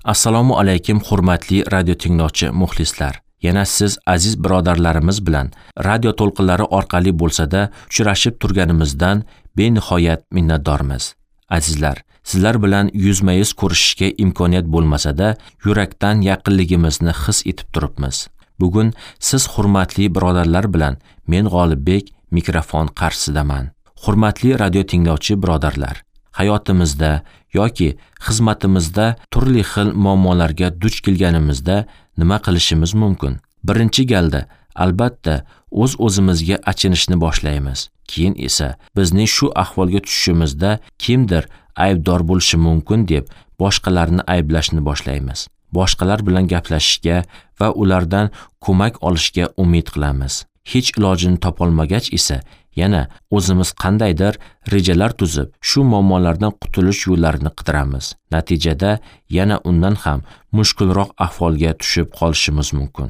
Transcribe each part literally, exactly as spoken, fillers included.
Assalomu alaykum hurmatli radio tinglovchi muxlislar. Yana siz aziz birodarlarimiz bilan radio to'lqinlari orqali bo'lsa-da uchrashib turganimizdan benihoyat minnatdormiz. Azizlar, sizlar bilan yuzma-yuz ko'rishishga imkoniyat bo'lmasa-da, yurakdan yaqinligimizni his etib turibmiz. Bugun siz hurmatli birodarlar bilan men G'olibbek mikrofon qarshisidaman. Hurmatli radio tinglovchi birodarlar, hayotimizda yoki xizmatimizda turli xil muammolarga duch kelganimizda nima qilishimiz mumkin? Birinchi galda albatta o'z-o'zimizga achinishni boshlaymiz. Keyin esa bizning shu ahvolga tushishimizda kimdir aybdor bo'lishi mumkin deb boshqalarni ayblashni boshlaymiz. Boshqalar bilan gaplashishga va ulardan ko'mak olishga umid qilamiz. Hech ilojini topolmagach esa yana o'zimiz qandaydir rejalar tuzib, shu muammolardan qutulish yo'llarini qidiramiz. Natijada yana undan ham mushkulroq ahvolga tushib qolishimiz mumkin.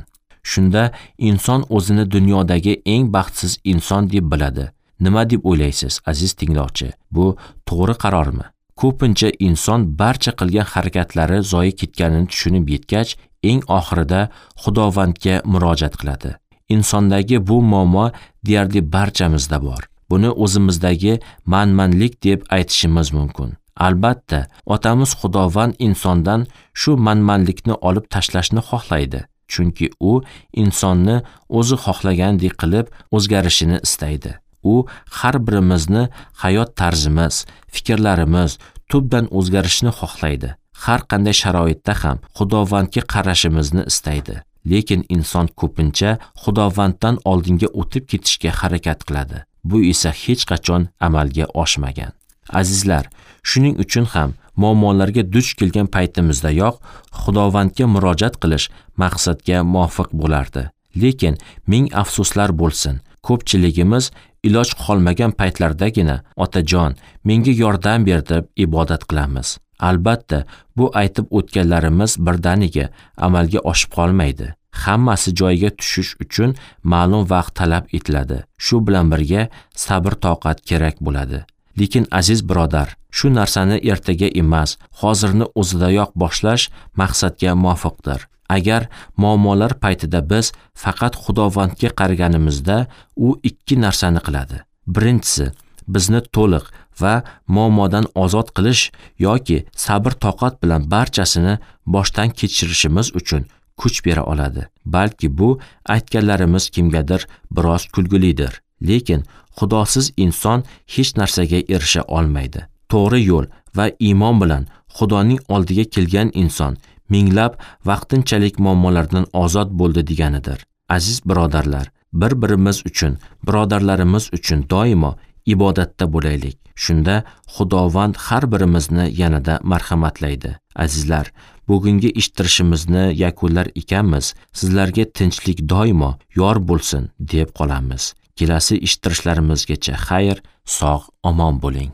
Shunda inson o'zini dunyodagi eng baxtsiz inson deb biladi. Nima deb o'ylaysiz, aziz tinglovchi? Bu to'g'ri qarormi? Ko'pincha inson barcha qilgan harakatlari zoyi ketganini tushunib yetgach, eng oxirida Xudovandga murojaat qiladi. Insondagi bu muammo deyarli barchamizda bor. Buni o'zimizdagi manmanlik deb aytishimiz mumkin. Albatta, otamiz Xudovand insondan shu manmanlikni olib tashlashni xohlaydi. Chunki u insonni o'zi xohlagandek qilib o'zgarishini istaydi. U har birimizni hayot tarzimiz, fikrlarimiz tubdan o'zgarishini xohlaydi. Har qanday sharoitda ham Xudovandga qarashimizni istaydi. Lekin inson ko'pincha Xudovanddan oldinga o'tib ketishga harakat qiladi. Bu esa hech qachon amalga oshmagan. Azizlar, shuning uchun ham muammolarga duch kelgan paytimizdayoq Xudovandga murojaat qilish maqsadga muvofiq bo'lardi. Lekin ming afsuslar bo'lsin, ko'pchiligimiz iloj qolmagan paytlardagina Otajon, menga yordam ber deb ibodat qilamiz. Albatta, bu aytib o'tganlarimiz birdaniga amalga oshib qolmaydi. Hammasi joyiga tushish uchun ma'lum vaqt talab etiladi. Shu bilan birga sabr-toqat kerak bo'ladi. Lekin aziz birodar, shu narsani ertaga emas, hozirni o'zidayoq boshlash maqsadga muvofiqdir. Agar muammolar paytida biz faqat Xudovandga qaraganimizda, u ikki narsani qiladi. Birinchisi, bizni to'liq va muammodan ozod qilish yoki sabr-toqat bilan barchasini boshdan kechirishimiz uchun kuch bera oladi. Balki bu aytganlarimiz kimgadir biroz kulgulidir. Lekin Xudosiz inson hech narsaga erisha olmaydi. To'g'ri yo'l va iymon bilan Xudoning oldiga kelgan inson minglab vaqtinchalik muammolardan ozod bo'ldi deganidir. Aziz birodarlar, bir-birimiz uchun, birodarlarimiz uchun doimo ibodatda bo'laylik. Shunda Xudovand har birimizni yanada marhamatlaydi. Azizlar, bugungi eshittirishimizni yakunlar ekanmiz, sizlarga tinchlik doimo yor bo'lsin deb qolamiz. Kelasi eshittirishlarimizgacha xayr, sog', omon bo'ling.